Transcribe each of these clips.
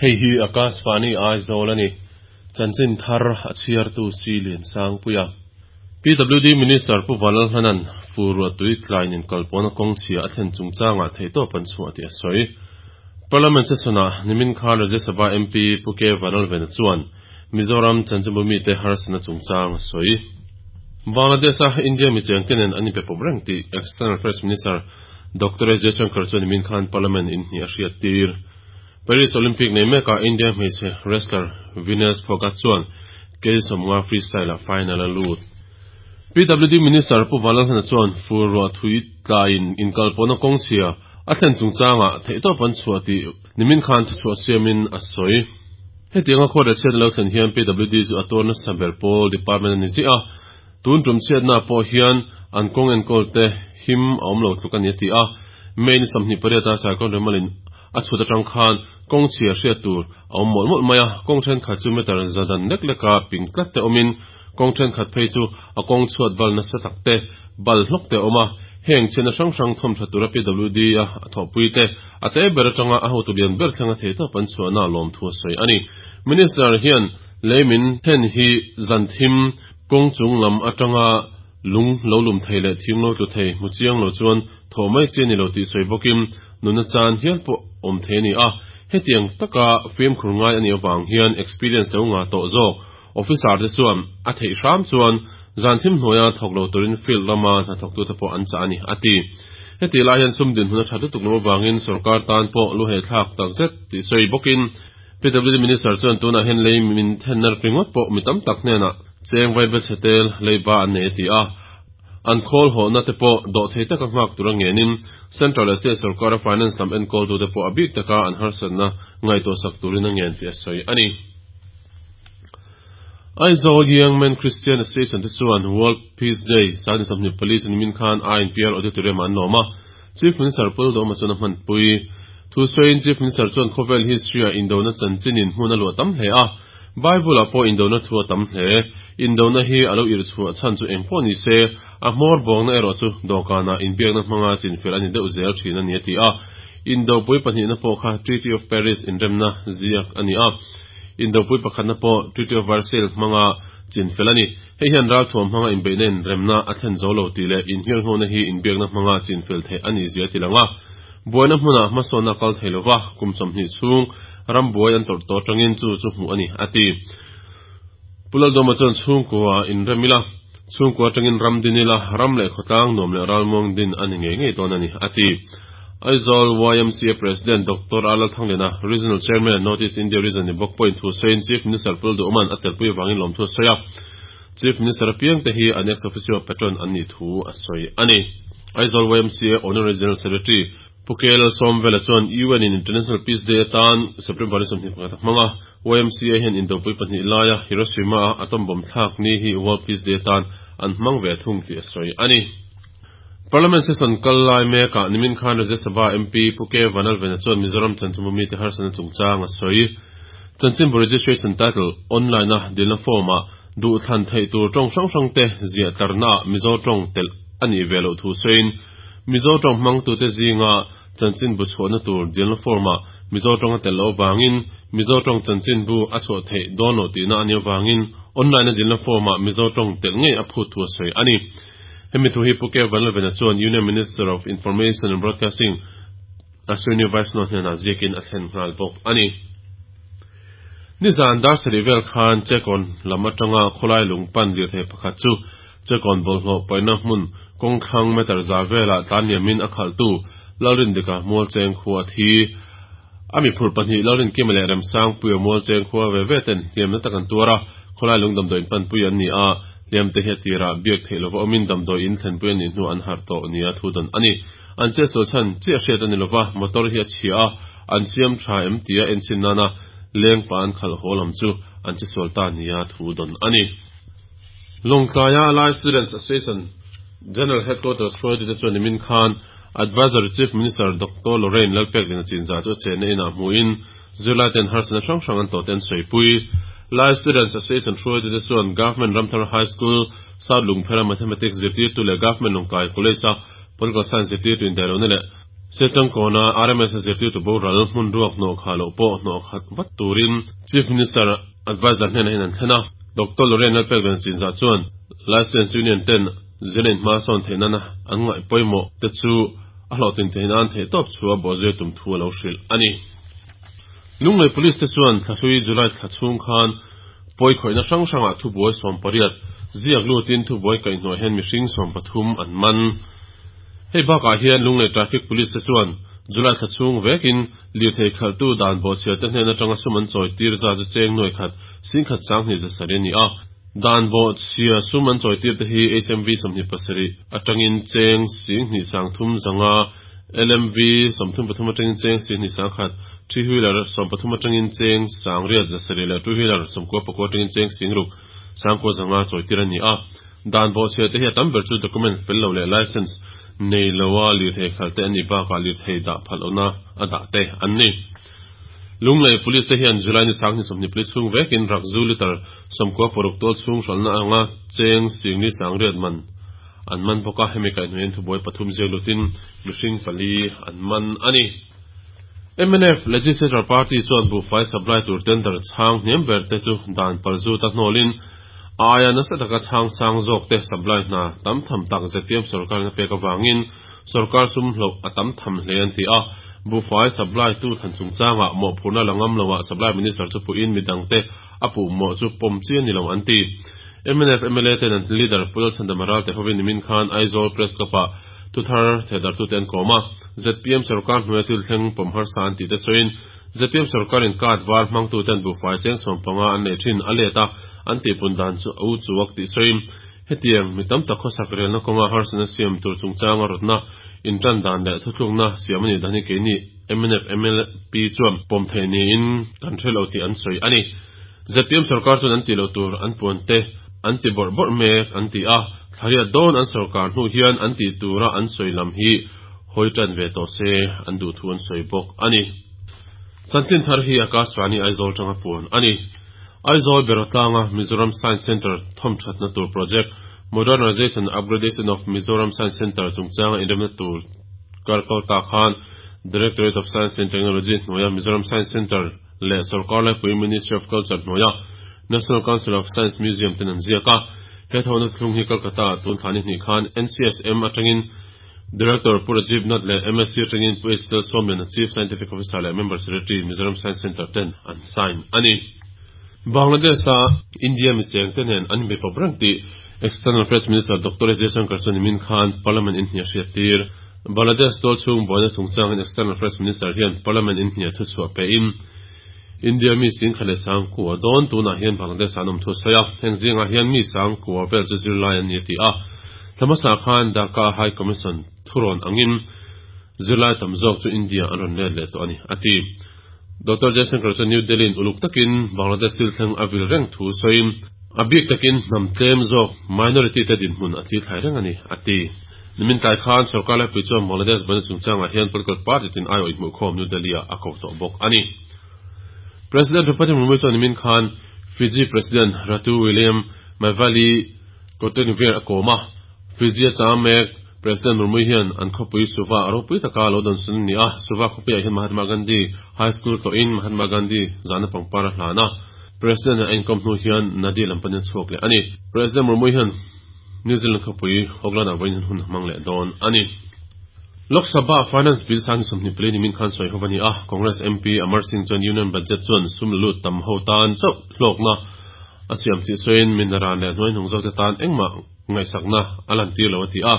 Hei hi Akashvani Aizawl a ni. Chanchin thar a chhiartu Si Liansangpuia. PWD Minister Pu Vanlalhlana'n fur ruahtui tlain inkalpawhna kawng chhia a thlen chungchangah theihtawp an chhuah tih a sawi. Parliament session-ah nimin khan Rajya Sabha MP Pu K Vanlalvena chuan Mizoram chanchinbu mite harsatna chungchang a sawi. Bangladesh-a India mi chengte nen an inpe pawp reng tih External Affairs Minister Doctor S Jaishankar chuan nimin khan Parliament inhnih a hriattir. Paris Olympic nei mekah India hmeichhe wrestler Vinesh Phogat chuan kg 50 freestyle-ah final a lut. PWD Minister Pu Vanlalhlana chuan fur ruah thui tlaiin inkalpawhna kawng chhia a thlen chungchangah theihtawp an chhuah tih nimin khan thuchhuah siamin a sawi. Hetianga khuat leh chhiatna lo thlen hian PWD chu a tuar nasa ber pawl department a ni ziah a, tun tum chhiatnaah pawh hian an kawng enkawlte him a awm lo tluk a ni a ti a. May ni 28 a Cyclone Remal-in A chhut atang khan kawng chhia hriat tur a awm mawlh mawlh mai a, kawng thenkhat chu meter za dan lek leka ping tlat te awmin kawng thenkhat phei chu a kawng chhuat bal nasa tak te, bal hlawk te a awm a. Heng chhiatna hrang hrang thawm tha tura PWD a thawhpui te, a te ber atanga a hotu lian ber thlenga thei tawp an chhuahna lawmthu a sawi a ni. Minister hian lei min then hi zan thim kawng chung lam atanga lung lo lum thei leh thing lo tlu thei hmu chiang lo chuan thawh mai chi a ni lo tih sawi bawkin Nunna chan hial pawh awm thei a ni a, hetiang taka fimkhur ngai a nih avang hian experience lo ngah tawh zawk officer te chuan a theih hram chuan zan thim hnuaia thawk lo turin field lama hnathawktute pawh an chah a ni, a ti. Hetih lai hian sum dinhmun a that lutuk loh avangin sorkar tan pawh lu hehthlak takzet tih sawi bawkin PWD Minister chuan tunah hian lei min thenna ringawt pawh mi tam tak hnenah cheng vai bechhe tel leiba an nei a ti a. An khawl hawhna te pawh dawhthei taka nghak tura ngenin Central leh State sorkara Finance lam enkawltute pawh a bik taka an harsatna ngaihtuahsak turin a ngen tih a sawi a ni. Aizawl Young Men Christian Association te chuan World Peace Day 24 chu nimin khan INPR Auditorium ah an lawm a, Chief Minister Pu Lalduhoma chuan a hmanpui. Thu sawiin Chief Minister chuan khawvel history-ah indona chanchinin hmun a luah tam hle a, Bible-ah pawh indona thu a tam hle. Indona hi a lo irh chhuah chhan chu eng pawh ni se, a hmawr bawngna erawh chu dawhkanah inbiakna hmanga chinfel a ni deuh zel thin a ni a ti a. Indopui pahnihna pawh kha Treaty of Paris inremna ziak a ni a. Indopui pakhatna pawh Treaty of Versailles hmanga chinfel a ni. Hei hian ralthuam hmanga inbeihna inremna a thlen zo lo tih leh inhirnghona hi inbiakna hmanga chinfel theih a nih zia a ti lang a. Buaina hmunah hmasawnna a kal thei lo va, kum 20 chhung ram buai an tawrh tawh atangin chu chu hmuh a ni, a ti. Pu Laldawma chuan chhungkua inrem ila, chhungkua atangin ram din ila, ram leh khawtlang nuam leh ralmuang din a ni ngei ngei dawn a ni, a ti. Aizawl YMCA President Doctor A Lalthangliana, Regional Chairman, North East India Region ni bawk pawhin thu sawiin Chief Minister Pu Lalduhawma'n a telpui avangin lawmthu a sawi a. Chief Minister apiang te hi an ex-officio patron an nih thu a sawi a ni. Aizawl YMCA Honorary General Secretary Pu KL Sawmvela chuan UN in International Peace Day atan September ni 21 a hmang a, YMCA hian indopui pahnih laia Hiroshima-a atom bomb thlak ni hi World Peace Day atan an hmang ve thung tih a sawi a ni. Parliament session kal lai mekah nimin khan Rajya Sabha MP Pu K Vanlalvena chuan Mizoram chanchinbu mite harsatna chungchang a sawi. Chanchinbu registration title online-a dilna form-ah duhthlan theih tur tawng hrang hrangte ziah tlarnaah Mizo tawng telh a nih ve loh thu sawiin Mizo tawng hmangtute zinga chanchinbu chhuahna tur dilna form-ah Mizo tawng a telh loh avangin Mizo tawng chanchinbu a chhuah theih dawn loh tihna a nih avangin online-a dilna form-ah Mizo tawng telh ngei a phut thu a sawi a ni. Hemi thu hi Pu Kev Vanlalvena chuan Union Minister of Information and Broadcasting Ashwini Vaishnaw hnenah ziakin a thlen nghal bawk a ni. Nizan dar sarih vel khan Chekawn lam atanga khawlai lung pan lirthei pakhat chu Chekawn bawlhhlawh paihna hmun kawngthlang meter za velah tlan liamin a khalhtu Lalrindika Mualcheng khua a thi. A mi phurh pahnih Lalrinkima leh Remsangpuia Mualcheng khua ve ve ten hliamna tak an tuar a, khawlai lung damdawiin panpui an ni a, hliamte hi a tirah biak theih lova awmin damdawiin thlenpui a nih hnu an harh tawh nia thu dawn a ni. An chetsual chhan chiah hriat a ni lova, motor hi a chhia a, an siam tha em tia enchhin nana leng pa an khalh haw lam chu an chesual ta nia thu dawn a ni. Lawngtlaia Lai Students Association General Headquarters hruaitute chuan nimin khan Advisory Chief Minister Doctor Lorraine Lalpekliana chinzah chu a chenna inah hmuhin zirlaiten harsatna hrang hrang an tawhte an sawipui. Lai Students Association hruaitute chuan Government Ramthar High School, South Lungphera Mathematics zirtirtu leh Government Lawngtlai College-a Political Science zirtirtu indaihlohna leh Sechangkawna RMS a zirtirtu boral hmun ruak hnawh khah loh pawh hnawh khat vat turin Chief Minister Adviser hnenah hian an thlen a. Doctor Lorraine Lalpeklian Chinzah chuan Lai Students Union ten zirna in hma sawn theih nana an ngaih pawimawh te chu a hlawhtlin theih nan theihtawp chu a bawhzir tum thu a lo hrilh a ni. Lunglei Police te chuan thlahlui July thla chhung khan pawi khawihna hrang hrangah thubuai 18 ziak lutin thubuai kaihhnawh hian mihring 13 an man. Hei bakah hian Lunglei Traffic Police te chuan July thla chhung vekin lirthei khalhtu dan bawhchhiar te hnen atanga sum an chawi tir zat chu cheng nuai khat singkhat sanghnih za sarih a ni a. Dan bawhchhia sum an chawi tir te hi HMV 27 atangin cheng singhnih sangthum zanga, LMV 33 atangin cheng singhnih sangkhat, three wheeler 13 atangin cheng sangriat za sarih leh two wheeler 99 atangin cheng singruk sangkua zanga chawi tir a ni a. Dan bawhchhia te hi a tam ber chu document fel lo leh license nei loa lirthei khalh te an nih bakah lirthei dah phal lohna a dah te an ni. Lunglei Police te hian July ni sanghnih 24 chhung vekin rakzu litre 96 tual chhung hralhna anga cheng singli sangriat man an man bawk a, hemi kaihhnawhin thubuai pathum ziak lutin mihring pali an man a ni. Mnf Legislature Party chuan buhfai supply tur tender chhang hniam ber te chu dan pal zut a hnawlin a aia nasa taka chhang sang zawk te supply hna tam tham tak ZPM sorkarin a pek avangin sorkar sum hloh a tam tham hle an ti a. Buhfai supply tu than chungchangah mawhphurhna la ngam loah supply minister chu puhin midangte a puh mawh chu pawm chi a ni lo an ti. Mnf mla ten an leader Pu Lalchhandama Ralte hovin nimin khan Aizawl Press Club-ah thuthar thehdarhtute an kawm a. ZPM sorkar hnuaia thil thleng pawm harsa an tih te sawiin ZPM sorkarin card var hmangtuten buhfai cheng 15 an nei thin a let a, an tihpun dan chu a u chuak tih sawiin hetiang mi tam tak khawsak relna kawnga harsatna siam tur chungchanga rawtna intan dan leh thuthlukna siam a nih dan hi keini mnf mlp chuan pawm theih niin kan hre lo tih an sawi a ni. ZPM sorkar chuan an tih loh tur an puan te an ti bawrh bawrh mek an ti a, thlariat dawn an sorkar hnu hian an tih tura an sawi lam hi hawi tan ve tawh se an duh thu an sawi bawk a ni. Chanchin thar hi Akashvani Aizawl tanga puan a ni. Aizawl Berawtlanga Mizoram Science Centre thawmthatna tur project, Modernization and Upgradation of Mizoram Science Centre chungchanga inremna tur kar kal ta khan Directorate of Science and Technology hnuaia Mizoram Science Centre leh sorkar laipui Ministry of Culture hnuaia National Council of Science Museum ten an ziak a. He thawhna thlung hi Kolkata-ah tun thla ni hnih khan NCSM atangin Director Pu Rajiv Nath leh MSC atangin Pu H Lalsawmliana Chief Scientific Officer leh Member Secretary Mizoram Science Centre ten an sign a ni. Bangladesh-a India mi chengte nen an inbe pawp reng tih External Affairs Minister Doctor S Jaishankar chuan nimin khan Parliament inhniah hriattir. Bangladesh tual chhung buaina chungchangin External Affairs Minister hian Parliament inhniah thuchhuah pein India mi singkhat leh sangkua dawn tunah hian Bangladesh ah an awm thu a sawi a, heng zingah hian mi sangkua vel chu zirlai an ni a ti a. Thla hmasa khan Dhaka High Commission thurawn angin zirlai tam zawk chu India an rawn let leh tawh a ni, a ti. Doctor Jaishankar chuan New Delhi-in uluk takin Bangladesh thil thleng a vil reng thu sawiin, a bik takin hnam tlem zawk minority te dinhmun a thlithlai reng a ni, a ti. Nimin tlai khan sorkar laipui chuan Bangladesh buaina chungchangah hian political party tin aiawh inhmuhkhawm New Delhi-ah a ko tawh bawk a ni. President Draupadi Murmu chuan nimin khan Fiji President Ratu William Maivalili Kautenivair a kawm a. Fiji a chang mek President Murmu hian an khawpui Suva a ropui taka lo dawnsun a ni a. Suva khawpuiah hian Mahatma Gandhi High School tlawhin Mahatma Gandhi zahna pangpar a hlan a. President a inkawm hnu hian Nadi lam panin a chhuak leh a ni. President Murmu hian New Zealand khawpui Auckland-ah vawiin hun a hmang leh dawn a ni. Lok Sabha Finance Bill sang 24 nimin khan sawi ho a ni a, Congress MP Amar Singh chuan Union Budget chuan sum la lut tam ho tan chauh hlawkna a siam tih sawiin minaran leh hnuaihnung zawkte tan engmah ngaihsakna a lantir lo a ti a.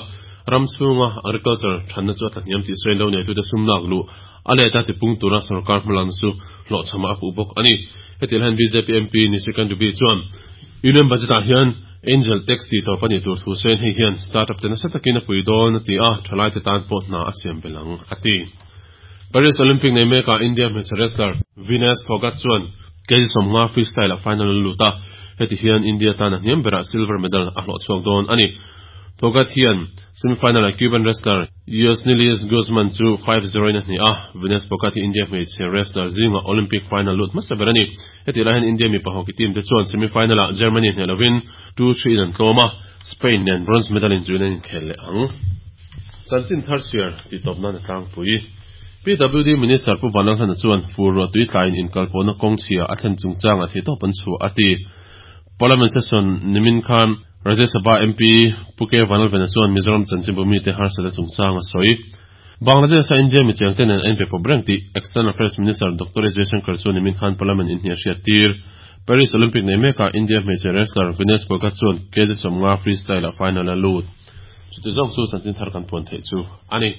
Ram chhunga agriculture thanna chu a tlahniam tih sawiin lo neitute sum lak luh a let a tipung tura sorkar hmalakna chu hlawhchhamah a puh bawk a ni. Hetiang hian bjp MP Nishikant Dubey chuan Union Budget-ah hian Angel tax tih tawp a nih tur thu sawiin hei hian startup te nasa takin a pui dawn a ti a, thalaite tan pawh hna a siam belh ang a ti. Paris Olympic nei mekah India hmeichhe wrestler Vinesh Phogat chuan kg 50 freestyle-ah final a lut a, heti hian India tan a hniam berah silver medal a hlawh chhuak dawn a ni. Phogat hian semi-final-ah Cuban wrestler Yosnilis Guzman chu 5-0 in a hneh a, Vinesh Phogat hi India hmeichhe wrestler zingah Olympic final lut hmasa ber a ni. Hetih lai hian India mipa hockey team te chuan semi-final-ah Germany hneh lovin 2-3 in an tlawm a, Spain nen bronze medal inchuhin an inkhel leh ang. Chanchin thar chhiar tih tawp nan a tlangpui. PWD Minister Pu Vanlalhlana chuan fur ruah tui tlaiin inkalpawhna kawng chhia a thlen chungchangah theihtawp an chhuah a ti. Parliament session nimin khan Rajya Sabha MP Pu K Vanlalvena chuan Mizoram chanchinbu mite harsatna chungchang a sawi. Bangladesh-a India michengte nen a inpe pawp reng tih External Affairs Minister Doctor S Jaishankar chuan nimin khan Parliament inhniah hriat tir. Paris Olympic nei mekah India hmeichhe wrestler Vinesh Phogat chuan kg 50 freestyle-ah final a lut. Chuti zawng chu chanchin thar kan puan theih chu a ni.